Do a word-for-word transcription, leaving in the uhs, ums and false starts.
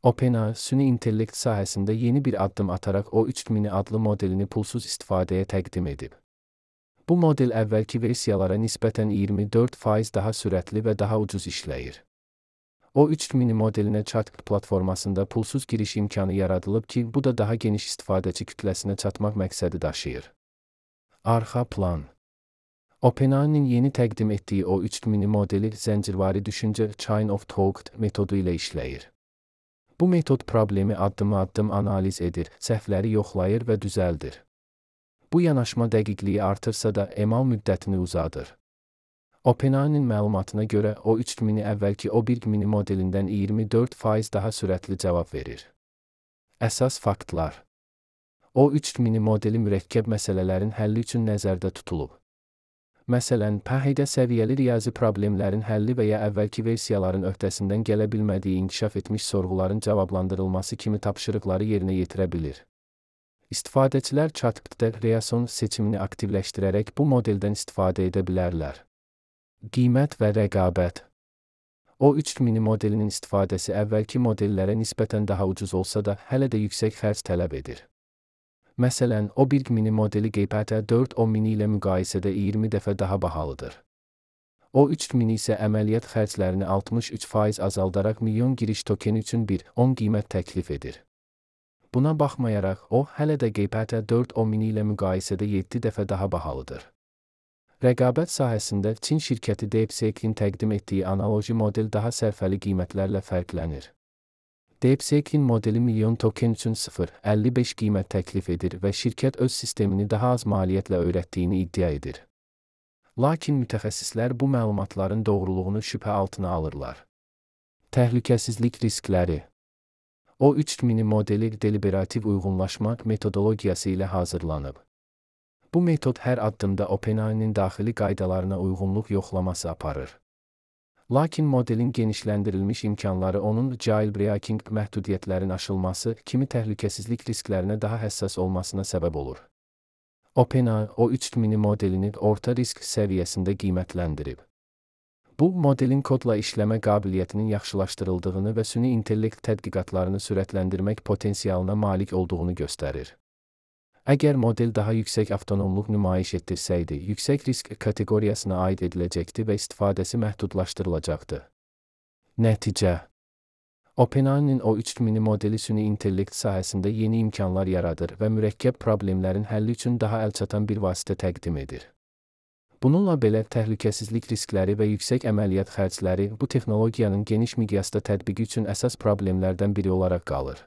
OpenAI, süni intellekt sahəsində yeni bir addım ataraq o üç mini adlı modelini pulsuz istifadəyə təqdim edib. Bu model əvvəlki versiyalara nisbətən iyirmi dörd faiz daha sürətli və daha ucuz işləyir. O üç mini modelinə ChatGPT platformasında pulsuz giriş imkanı yaradılıb ki, bu da daha geniş istifadəçi kütləsinə çatmaq məqsədi daşıyır. Arxa plan. OpenAI-nin yeni təqdim etdiyi o üç mini modeli zəncirvari düşüncə Chain of Thought metodu ilə işləyir. Bu metod problemi addım-addım analiz edir, səhvləri yoxlayır və düzəldir. Bu yanaşma dəqiqliyi artırsa da emal müddətini uzadır. OpenAI-nin məlumatına görə o üç mini əvvəlki o bir mini modelindən iyirmi dörd faiz daha sürətli cavab verir. Əsas faktlar. O üç mini modeli mürəkkəb məsələlərin həlli üçün nəzərdə tutulub. Məsələn, P H D səviyyəli riyazi problemlərin həlli və ya əvvəlki versiyaların öhdəsindən gələ bilmədiyi inkişaf etmiş sorğuların cavablandırılması kimi tapşırıqları yerinə yetirə bilir. İstifadəçilər ChatGPT-də Reason seçimini aktivləşdirərək bu modeldən istifadə edə bilərlər. Qiymət və rəqabət. O üç mini modelinin istifadəsi əvvəlki modellərə nisbətən daha ucuz olsa da, hələ də yüksək xərc tələb edir. Məsələn, o bir mini modeli G P T dörd o mini ilə müqayisədə iyirmi dəfə daha bahalıdır. O üç mini isə əməliyyat xərclərini altmış üç faiz azaldaraq milyon giriş tokeni üçün bir on qiymət təklif edir. Buna baxmayaraq, o, hələ də G P T dörd o mini ilə müqayisədə yeddi dəfə daha bahalıdır. Rəqabət sahəsində Çin şirkəti DeepSeek-in təqdim etdiyi analoji model daha sərfəli qiymətlərlə fərqlənir. DeepSeek-in modeli milyon token üçün sıfır nöqtə əlli beş qiymət təklif edir və şirkət öz sistemini daha az maliyyətlə öyrətdiyini iddia edir. Lakin mütəxəssislər bu məlumatların doğruluğunu şübhə altına alırlar. Təhlükəsizlik riskləri. O üç mini modeli deliberativ uyğunlaşma metodologiyası ilə hazırlanıb. Bu metod hər addımda OpenAI-nin daxili qaydalarına uyğunluq yoxlaması aparır. Lakin modelin genişləndirilmiş imkanları onun jailbreaking məhdudiyyətlərin aşılması kimi təhlükəsizlik risklərinə daha həssas olmasına səbəb olur. OpenAI o üç mini modelini orta risk səviyyəsində qiymətləndirib. Bu, modelin kodla işləmə qabiliyyətinin yaxşılaşdırıldığını və süni intellekt tədqiqatlarını sürətləndirmək potensialına malik olduğunu göstərir. Əgər model daha yüksək avtonomluq nümayiş etdirsəydi, yüksək risk kateqoriyasına aid ediləcəkdi və istifadəsi məhdudlaşdırılacaqdı. Nəticə. OpenAI-nin o üç mini modeli süni intellekt sahəsində yeni imkanlar yaradır və mürəkkəb problemlərin həlli üçün daha əlçatan bir vasitə təqdim edir. Bununla belə təhlükəsizlik riskləri və yüksək əməliyyat xərcləri bu texnologiyanın geniş miqyasda tətbiqi üçün əsas problemlərdən biri olaraq qalır.